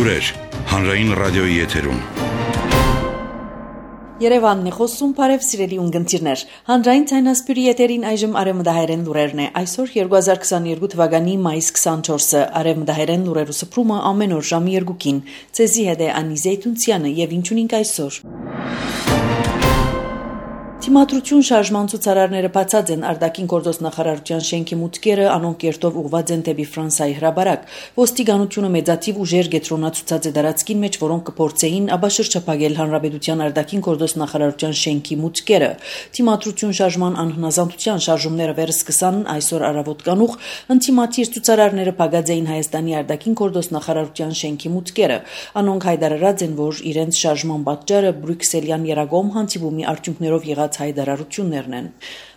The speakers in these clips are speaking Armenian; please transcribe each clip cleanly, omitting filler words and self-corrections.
Լուրեր հանրային ռադիոյի եթերում։ Երևանն է խոսում, բարև սիրելի ունգընտիրներ։ Հանրային ցայնասպյուրի եթերին այժմ արևմտահայերեն լուրերն է։ Այսօր 2022 թվականի մայիս 24-ը արևմտահայերեն լուրերու սփռումը ամեն օր ժամի 2-ին։ Ցեզի հետ է Անի Զեյթունցյանը եւ ինչունինք այսօր։ Թիմադրություն շարժման ցուցարարները բացած են արտաքին գործոս նախարարության շենքի մուտքերը, անոնք կերտով ուղված են դեպի Ֆրանսիայի հրաբարակ։ Ոստիկանությունը մեծաթիվ ուժեր գետրոնացուցած է դարածքին մեջ, որոնք կփորձեին աբաշրջապագել հանրապետության արտաքին գործոս նախարարության շենքի մուտքերը։ Թիմադրություն շարժման անհնազանդության շարժումները վերսկսան այսօր առավոտ կանուխ, ընթիմաթիր ցուցարարները փակած էին Հայաստանի արտաքին գործոս նախարարության շենքի մուտքերը։ Անոնք հայտարարած են, որ իրենց շարժման պատճառը բրյուսելյան երագոմ հանդիպումի արդյունքներով եղած հայտարարություններն են։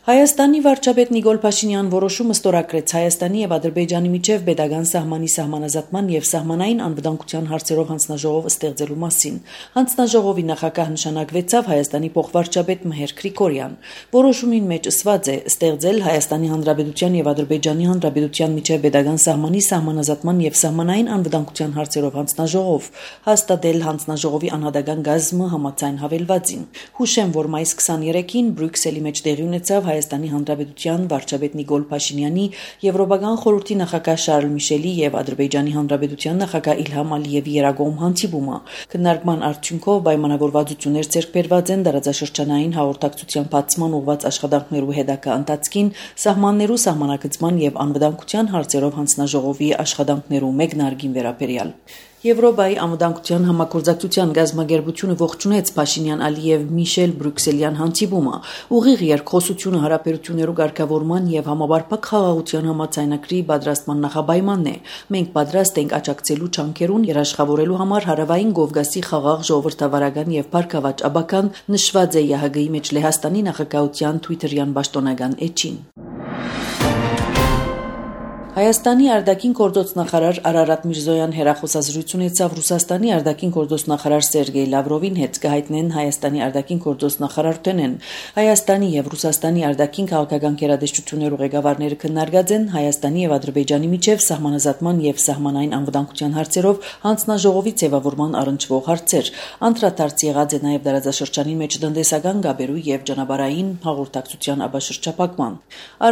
Հայաստանի վարչապետ Նիկոլ Փաշինյան որոշումը ստորագրեց Հայաստանի եւ Ադրբեջանի միջև պետական սահմանի սահմանազատման եւ սահմանային անվտանգության հարցերով հանձնաժողով ստեղծելու մասին։ Հանձնաժողովի նախագահ նշանակվեցավ Հայաստանի փոխվարչապետ Մհեր Գրիգորյան։ Որոշումին մեջ ըսված է ստեղծել Հայաստանի Հանրապետության եւ Ադրբեջանի Հանրապետության միջև պետական սահմանի սահմանազատման եւ սահմանային անվտանգության հարցերով հանձնաժողով, հաստատել հանձնաժողովի անհատական գազմը համաձայն հավելվածին։ Հուշեմ, որ մայիս 23-ին Բրյուսելի մեջ տեղի ունեցավ Հայաստանի Հանրապետության վարչապետ Նիկոլ Փաշինյանի, Եվրոպական խորհրդի նախագահ Շարլ Միշելի եւ Ադրբեջանի Հանրապետության նախագահ Իլհամ Ալիևի երագոմ հանդիպումը։ Քննարկման արդյունքով պայմանավորվածություններ ձեռք բերված են դարաձաշրջանային հաղորդակցության բացման ուղղված աշխատանքներու հետագա ընթացքին, սահմաններու սահմանակցման եւ անվտանգության հարցերով հանձնաժողովի աշխատանքներու մեկնարկին վերաբերյալ։ Եվրոպայի անվտանգության համագործակցության գազագերբությունը ողջունեց Փաշինյան-Ալիև Միշել Բրյուսելյան հանդիպումը։ Ուղիղ երկխոսությունը հարաբերություններու ղեկավարման եւ համապարփակ խաղաղության համաձայնագրի պատրաստման նախապայմանն է։ Մենք պատրաստ ենք աջակցելու ճանկերուն երաշխավորելու համար հարավային Կովկասի խաղաղ ժողովրդավարական եւ բարգավաճ աբական, նշված է ՀՀԳ-ի մեջ Լեհաստանի նախագահության Twitter-յան պաշտոնական էջին։ Հայաստանի արտաքին գործոս նախարար Արարատ Միրզոյան հերախոսազրույց ունեցավ Ռուսաստանի արտաքին գործոս նախարար Սերգեյ Լավրովին հետ կհայտնեն Հայաստանի արտաքին գործոս նախարարութենեն։ Հայաստանի եւ Ռուսաստանի արտաքին քաղաքական գերատեսչություններու ղեկավարները քննարկած են Հայաստանի եւ Ադրբեջանի միջև սահմանազատման եւ սահմանային անվտանգության հարցերով հանձնաժողովի ձևավորման առնչվող հարցեր։ Անդրադարձ եղած է նաեւ դարաձաշրջանի մեջ տնտեսական գաբերու եւ ճանապարհային հաղորդակցության աբաշրջապակման։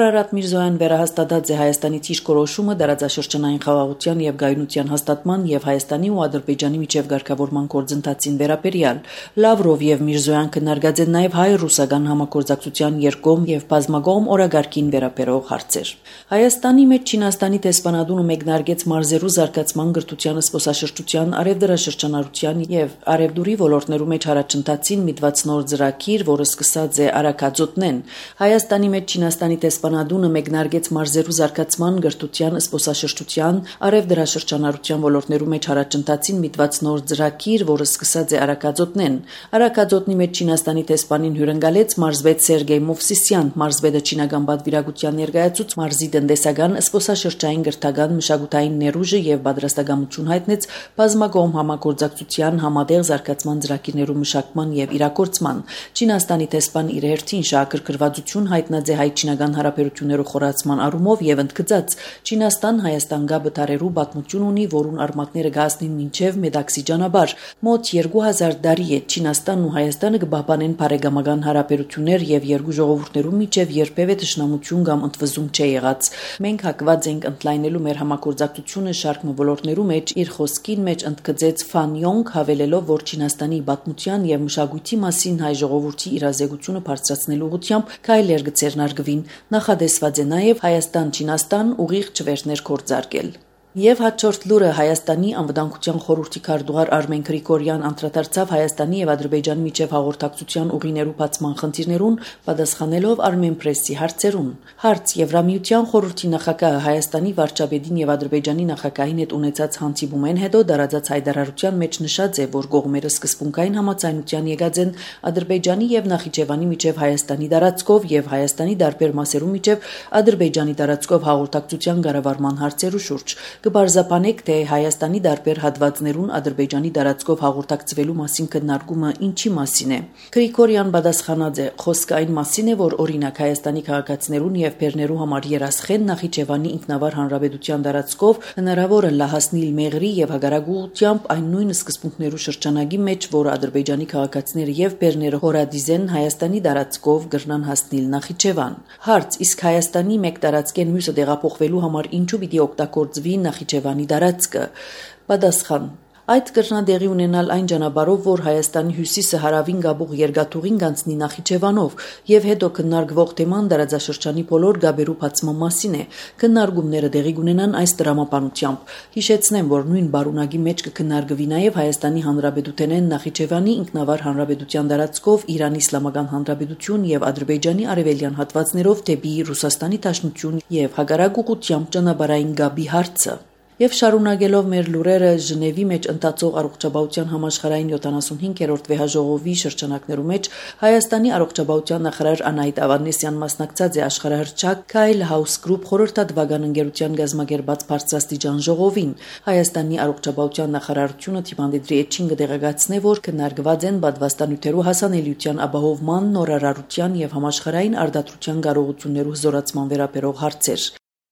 Արարատ Միրզոյան վերահաստատած է Հայաստանի որոշումը դարաձաշրջանային խաղաղության եւ գայունության հաստատման եւ Հայաստանի ու Ադրբեջանի միջև ղեկավարման գործընթացին վերաբերյալ։ Լավրով եւ Միրզոյան քննարկած են նաեւ հայ-ռուսական համագործակցության երկկողմ եւ բազմակողմ օրագարկին վերաբերող հարցեր։ Հայաստանի մեջ Չինաստանի դեսպանատունը մեկնարկեց մարզերու զարգացման գրթության զբոսաշրջության արևդրաշրջանառության եւ արևդուրի ոլորտներու մեջ առաջընթացին միտված նոր ծրագիր, որը սկսած է Արաքածոտնեն։ Հայաստանի մեջ Չինաստանի դեսպանատունը մեկնարկեց մարզերու զարգացման գրթության զբոսաշրջության արևդրաշրջանառության ոլորտներու մեջ առաջընթացին միտված նոր ծրագիր, որը սկսած է Արաքածոտնեն։ Արաքածոտնի մեջ Չինաստանի դեսպանին հյուրընկալեց մարզվետ Սերգեյ Մովսիսյան, մարզվետը չինական պատվիրակության ներկայացուց մարզի տնտեսական, զբոսաշրջային, գրթական, մշակութային ներուժը եւ պատրաստակամություն հայտնեց բազմակողմ համագործակցության համատեղ զարգացման ծրագիրներու մշակման եւ իրագործման։ Չինաստանի դեսպան իր հերթին շահագրգռվածություն հայտնած է հայ-չինական հարաբերություններու խորացման առումով եւ ընդգծած Չինաստան-Հայաստան գաբը տարերու պատմություն ունի, որուն արմատները գասնին մինչև Մեդաքսի ճանապարհ։ Մոտ 2000 տարի է Չինաստանն ու Հայաստանը կբահբանեն բարեկամական հարաբերություններ եւ երկու ժողովուրդներու միջև երբևէ դժնամություն կամ ընդվզում չի եղած։ Մենք հակված ենք ընդլայնելու մեր համագործակցությունը շարք ոլորտներու մեջ, իր խոսքին մեջ ընդգծեց Ֆան Յոնգ, հավելելով, որ Չինաստանի պատմության եւ մշակույթի մասին հայ ժողովրդի իրազեկությունը բարձրացնելու ուղղությամբ քայլեր կձեռնարկվին։ Նախադեсված է նաեւ Հայաստան-Չինաստան ուղիղ չվերթներ կործարկել։ Եվ հաջորդ լուրը Հայաստանի անվտանգության խորհրդի քարտուղար Արմեն Գրիգորյան անդրադարձավ Հայաստանի եւ Ադրբեջանի միջև հաղորդակցության ուղիներու բացման խնդիրներուն, պատասխանելով Armenpress-ի հարցերուն։ Հարց Եվրամիության խորհրդի նախագահը Հայաստանի վարչապետին եւ Ադրբեջանի նախագահին հետ ունեցած հանդիպումեն հետո դարաձած հայտարարության մեջ նշած է, որ կողմերը սկզբունքային համաձայնության եկած են Ադրբեջանի եւ Նախիջևանի միջև Հայաստանի տարածքով եւ Հայաստանի դարբեր մասերու միջև Ադրբեջանի տարածքով հաղորդակցության կառավարման հարցերու շուրջ։ Կբարձապանեք, թե Հայաստանի դարբեր հատվածներուն Ադրբեջանի դարածքով հաղորդակցվելու մասին քննարկումը ինչի մասին է։ Գրիգորյան պատասխանած է, խոսքը այն մասին է, որ օրինակ Հայաստանի քաղաքացիներուն եւ բեռներու համար երասխեն Նախիջևանի ինքնավար հանրապետության դարածքով հնարավոր է լահասնիլ մեղրի եւ հագարագուությամբ այն նույն սկզբունքներու շրջանագի մեջ, որ Ադրբեջանի քաղաքացիները եւ բեռները հորադիզեն Հայաստանի դարածքով գրնան հասնիլ Նախիջևան։ Հարց. իսկ Հայաստանի մեկ դարածքեն մյուսը տեղափոխվելու համար ինչու պիտի օգտագործվի Նախիջևանի դարածքը։ Պատասխան. Այդ կրնադեղի ունենալ այն ճանապարհով, որ Հայաստանի հյուսիսը հարավին գաբող երկաթուղին գանցնի Նախիջևանով եւ հետո քննարկվող թեման դարաձաշրջանի բոլոր գաբերու բացման մասին է։ Քննարկումները տեղի կունենան այս դրամապանությամբ։ Հիշեցնեմ, որ նույն բարունակի մեջ կքննարկվի նաեւ Հայաստանի Հանրապետութենեն Նախիջևանի ինքնավար հանրապետության դարածքով Իրանի Իսլամական Հանրապետություն եւ Ադրբեջանի արևելյան հատվածներով դեպի Ռուսաստանի Դաշնություն եւ հակառակ ուղղությամբ ճանապարհային գաբի հարցը։ Եվ շարունակելով մեր լուրերը Ժնևի մեջ ընթացող առողջապահության համաշխարհային 75-րդ վեհաժողովի շրջանակներու մեջ Հայաստանի առողջապահության նախարար Անահիտ Ավանեսյան մասնակցած է աշխարհահռչակ Kyle House Group խորհրդատվական ընկերության գազագերբած բարձրաստիճան ժողովին։ Հայաստանի առողջապահության նախարարությունը թիմանդրի էջին կդեղեկացնե, որ քննարկված են պատվաստանյութերու հասանելիության ապահովման, նորարարության եւ համաշխարհային արտադրության կարողություններու զորացման վերաբերող հարցեր։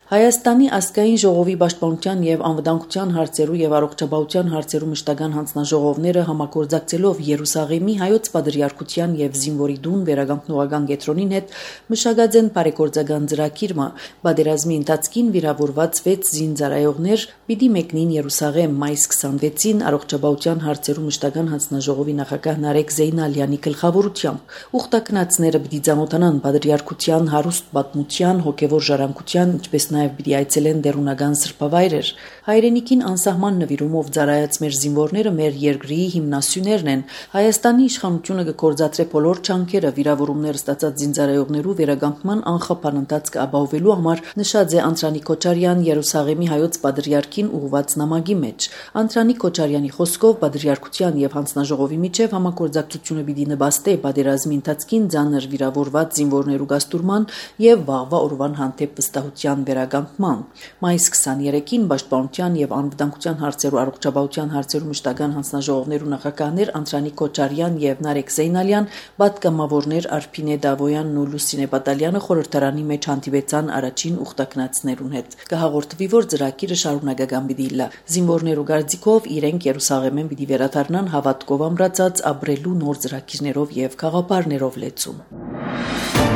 Հայաստանի ազգային ժողովի պաշտպանության եւ անվտանգության հարցերու եւ առողջապահության հարցերու մշտական հանձնաժողովները համագործակցելով Երուսաղեմի հայոց պատրիարքության եւ Զինվորի դուն վերականգնողական կենտրոնին հետ մշակած են բարեգործական ծրագիրը։ Պատերազմի ընթացքին վիրավորված 6 զինծառայողներ պիտի մեկնին Երուսաղեմ մայիս 26-ին առողջապահության հարցերու մշտական հանձնաժողովի նախագահ Նարեկ Զեյնալյանի գլխավորությամբ։ Ուխտակնածները պիտի ծանոթանան պատրիարքության հարուստ պատմության, հոգեվոր ժառանգության, ինչպես նաև պիտի այցելեն դերունական սրբավայրեր։ Հայրենիքին անսահման նվիրումով ծառայած մեր զինվորները մեր երկրի հիմնասյուներն են։ Հայաստանի իշխանությունը կգործադրե բոլոր ջանքերը վիրավորումներ ստացած զինծառայողներու վերականգնման անխափան ընթացքը ապահովելու համար, նշած է Անդրանիկ Քոչարյան Երուսաղեմի հայոց պատրիարքին ուղղված նամակի մեջ։ Անդրանիկ Քոչարյանի խոսքով պատրիարքության եւ հանձնաժողովի միջև համագործակցությունը պիտի նպաստի պատերազմի ընթացքին ծանր վիրավորված զինվորներու գաստուրման եւ վաղվա օրվան հանդեպ վստահության վերականգնման։ Մայիս 23-ին Պաշտպանության եւ անվտանգության հարցերու առողջապահության հարցերու մշտական հանձնաժողովներու նախագահներ Անդրանիկ Քոչարյան եւ Նարեկ Զեյնալյան, պատգամավորներ Արփինե Դավոյանն ու Լուսինե Պատալյանը խորհրդարանի մեջ հանդիպեցան առաջին ուխտակնածներուն հետ։ Կհաղորդվի, որ ծրագիրը շարունակական պիտի լա։ Զինվորներու գարձիկով իրենք Երուսաղեմեն պիտի վերադառնան հավատքով ամրացած ապրելու նոր ծրագիրներով եւ խաղապարներով լեցուն։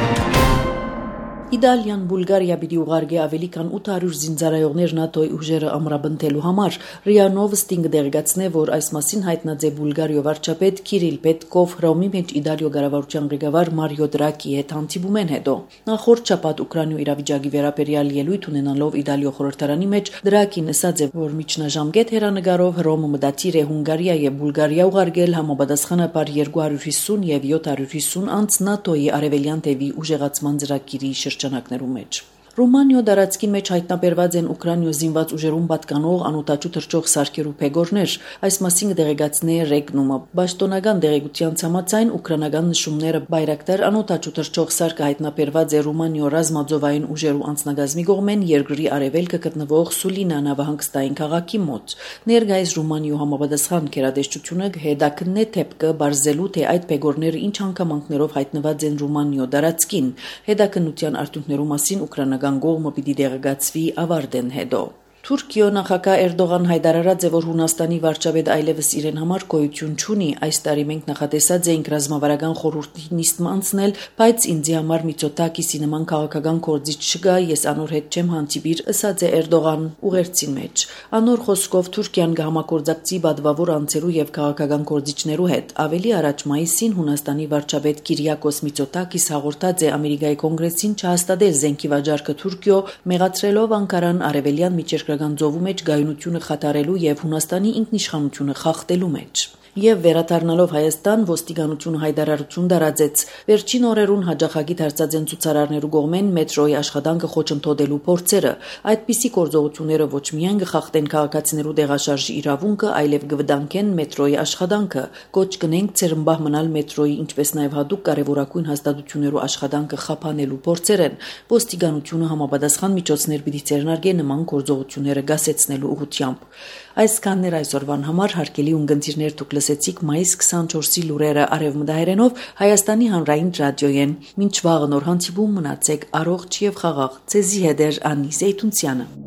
Իտալիան Բուլղարիա պիտի ուղարկի ավելի քան 800 զինծառայողներ ՆԱՏՕ-ի ուժերը ամրապնդելու համար։ ՌԻԱ Նովոստին կդեղեկացնե, որ այս մասին հայտնած է Բուլղարիա վարչապետ Կիրիլ Պետկով Հռոմի մեջ Իտալիո կառավարության ղեկավար Մարիո Դրագի հետ հանդիպումեն հետո։ Նախորդ շաբաթ Ուկրաինայու իրավիճակի վերաբերյալ ելույթ ունենալով Իտալիո խորհրդարանի մեջ Դրագին ասաց է, որ միջնաժամկետ հերանեկարով Հռոմը մտադիր է Հունգարիա եւ Բուլղարիա ուղարկել համապատասխանաբար 250 եւ 750 անց ՆԱՏՕ-ի արևելյան թևի ուժեղացման ծրագիրի շրջանակներում մեջ։ Ռումանիո դարածքի մեջ հայտնաբերված են Ուկրաինայո զինված ուժերուն պատկանող անօտաչու թռչող սարքերու փեգորներ, այս մասին կդեղեկացնի Ռեգնումը։ Պաշտոնական դեղեցության համաձայն ուկրաինական նշումները Բայրակտար անօտաչու թռչող սարքը հայտնաբերված է Ռումանիո ռազմաձովային ուժերու անձնագազմի կողմեն երկրի արևելքը գտնվող Սուլինա նավահանգստային քաղաքի մոտ։ Ներկայիս Ռումանիո համապատասխան գերատեսչությունը հետաքննե թեփքը բարձելու, թե այդ փեգորները ինչ հանգամանքներով հայտնված են Ռումանիո դարածքին։ Հետաքննության արդյունքներու մասին ուկրաինական կողմը պիտի դեղեկացվի ավարտեն հետո։ Թուրքիո նախագահ Էրդողան հայտարարած է, որ Հունաստանի վարչապետ այլևս իրեն համար գոյություն չունի։ Այս տարի մենք նախատեսած էինք ռազմավարական խորհրդի նիստը անցնել, բայց ինձի համար Միծոտակիսի նման քաղաքական կորձիչ չկա, ես անոր հետ չեմ հանդիպիր, ըսած է Էրդողան ուղերձին մեջ։ Անոր խոսքով Թուրքիան կհամագործակցի բադվավոր անձերու եւ քաղաքական կորձիչներու հետ։ Ավելի առաջ մայիսին Հունաստանի վարչապետ Կիրիակոս Միծոտակիս հաղորդած է Ամերիկայի կոնգրեսին չհաստատել զենքի վաճառքը Թուրքիո, մեղադրելով Անկարան արևելյան միջերկրական ծովու մեջ գայունությունը խաթարելու եւ Հունաստանի ինքնիշխանությունը խախտելու մեջ։ Եվ վերադառնալով Հայաստան, ոստիկանությունը հայտարարություն տարածեց։ Վերջին օրերուն հաջախակի դարձած են ցուցարարներու կողմեն մետրոյի աշխատանքը խոչընդոտելու փորձերը։ Այդպիսի գործողությունները ոչ միայն կխախտեն քաղաքացիներու տեղաշարժի իրավունքը, այլև կվտանգեն մետրոյի աշխատանքը։ Կոչ կնենք ցերմբահ մնալ մետրոյի, ինչպես նաև հատուկ կարևորագույն հաստատություններու աշխատանքը խափանելու փորձեր են։ Ոստիկանությունը համապատասխան միջոցներ պիտի ձեռնարկի նման գործողությունների իրադարձությունները գասեցնելու ուղղությամբ։ Այսքանն էր այսօրվան համար, հարգելի ունգընտիրներ, դուք լսեցիք մայիս 24-ի լուրերը արևմտահայերենով Հայաստանի հանրային ռադիոյեն։ Մինչ վաղը նոր հանդիպում, մնացեք առողջ եւ խաղաղ։ Ձեզի հետ էր Անի Զեյթունցյանը։